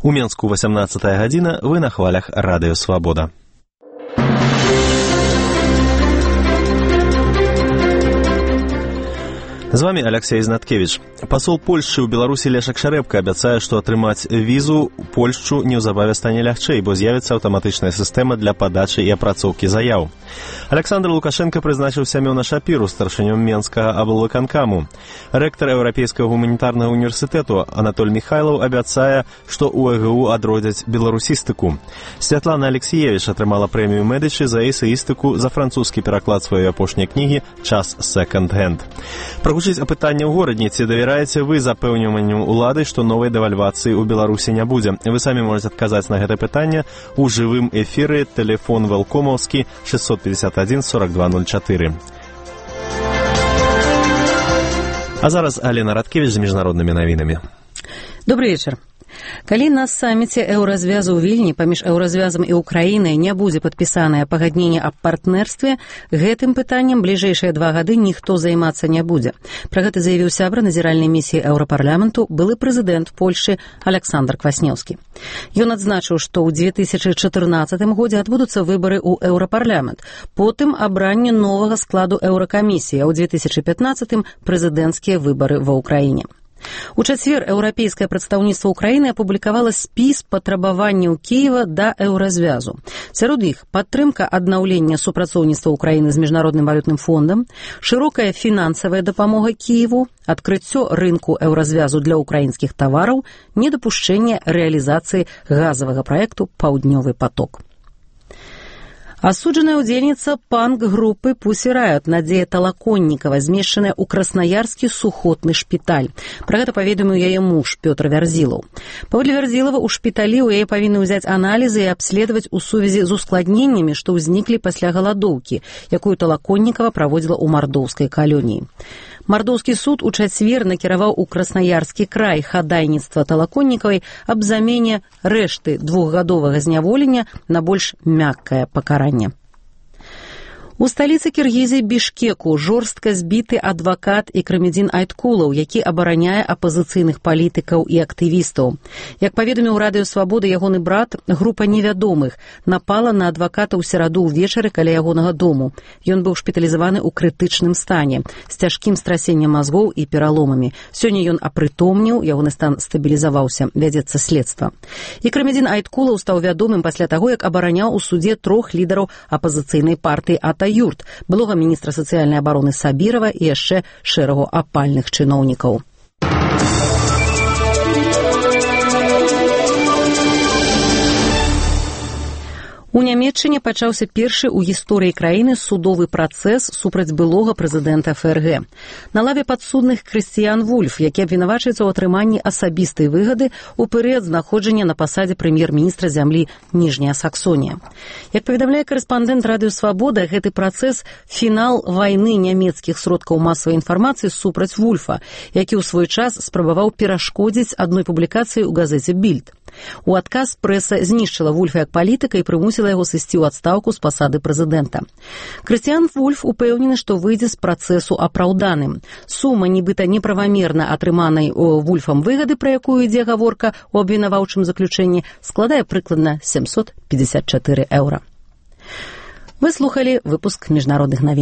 У Менску 18 гадзіна, вы на хвалях Радыё Свабода. З вами Алексей Знаткевич. Пасол Польшчы ў Беларусі Лешак Шарэбка абяцае, што атрымаць візу ў Польшчу неўзабаве стане лягчэй, бо з'явіцца аўтаматычная сістэма для падачы і апрацоўкі заяў. Александр Лукашенко прызначыў Сямёна Шапіру старшынём Менскага аблвыканкаму. Рэктар Еўрапейскага гуманітарнага універсітэту Анатоль Михайлаў абяцае, што ў ЭГУ адродзяць беларусістыку. Святлана Алексеевич атрымала прэмію Медычы за эсеістыку за французскі пераклад сваёй апошняй кнігі «Час секонд-хенд». Прагучыць апытанне ў горадні, ці давяраеце вы запэўніванню ўлады, што новай дэвальвацыі ў Беларусі не будзе? Вы самі можете адказаць на гэта пытанне ў жывым эфіры. Тэлефон Велкомаўскі 651 4204. А зараз Алена Радкевич з міжнароднымі навінамі. Добрый вечар. Калі на саміце еўразвязу ў Вільні паміж еўразвязам і Украінай не будзе падпісанае пагадненне аб партнерстве, гэтым пытаннем бліжэйшыя 2 гады ніхто займацца не будзе. Пра гэта заявіў сябра назіральнай місіі Еўрапарламенту былы прэзідэнт Польшчы Александр Кваснеўскі. Ён адзначыў, што ў 2014 годзе адбудуцца выбары ў Еўрапарламент, потым абранне новага складу Еўракамісіі, а ў 2015 прэзідэнцкія выбары ва Ўкраіне. У чацвер еўрапейскае прадстаўніцтва Украіны апублікавала спіс патрабаванняў Кіева да еўразвязу. Сярод іх падтрымка аднаўлення супрацоўніцтва Украіны з міжнародным валютным фондам, шырокая фінансавая дапамога Кіеву, адкрыццё рынку еўразвязу для украінскіх тавараў, недапушчэнне рэалізацыі газавага праекту «Паўднёвы поток». Асуджаная ўдзельніца панк-групы Pussy Riot Надзея Талаконнікава змешчаная ў краснаярскі сухотны шпіталь. Пра гэта паведаміў яе муж Пётр Вярзілаў. Паводле Вярзілава, у шпіталі ў яе павінны ўзяць аналізы і абследаваць у сувязі з ускладненнямі, што ўзніклі пасля галадоўкі, якую Талаконнікава праводзіла ў мардоўскай калоніі. Мардоўскі суд у чацвер накіраваў у Краснаярскі край хадайніцтва Талаконнікавай аб замене рэшты 2-гадовага зняволення на больш мяккае пакаранне. У сталіцы Кіргізіі Бішкеку жорстка збіты адвакат Икрамидин Айткулов, які абараняе апазіцыйных палітыкаў і актывістаў. Як паведаміў Радыё Свабода ягоны брат, група невядомых напала на адваката ў сераду ўвечары каля ягонага дому. Ён быў шпіталізаваны ў крытычным стане, з цяжкім страсеннем мазгоў і пераломамі. Сёння ён апрытомніў, ягоны стан стабілізаваўся, вядзецца следства. Икрамидин Айткулов стаў вядомым пасля таго, як абараняў у судзе 3 лідараў апазіцыйнай партыі Юрт, былога міністра сацыяльнай абароны Сабірова і яшчэ шэрагу апальных чыноўнікаў. У Нямецчыне пачаўся першы ў гісторыі краіны судовы працэс супраць былога прэзідэнта ФРГ. На лаве падсудных Крыстіян Вульф, які абвінавачваецца ў атрыманні асабістай выгады ў перыяд знаходжання на пасадзе прэм'ер-міністра зямлі Ніжняя Саксонія. Як паведамляе карэспандэнт Радыё Свабода, гэты працэс – фінал вайны нямецкіх сродкаў масавай інфармацыі супраць Вульфа, які ў свой час спрабаваў перашкодзіць адной публікацыі ў газеце «Більд». У адказ прэса знішчыла Вульфа як палітыка і прымусіла яго сысці ў адстаўку з пасады прэзідэнта. Крыстіян Вульф упэўнены, што выйдзе з працэсу апраўданым. Сума нібыта неправамерна атрыманай Вульфам выгады, пра якую ідзе гаворка ў абвінаваўчым заключэнні, складае прыкладна 754 еўра. Вы слухалі выпуск міжнародных навін.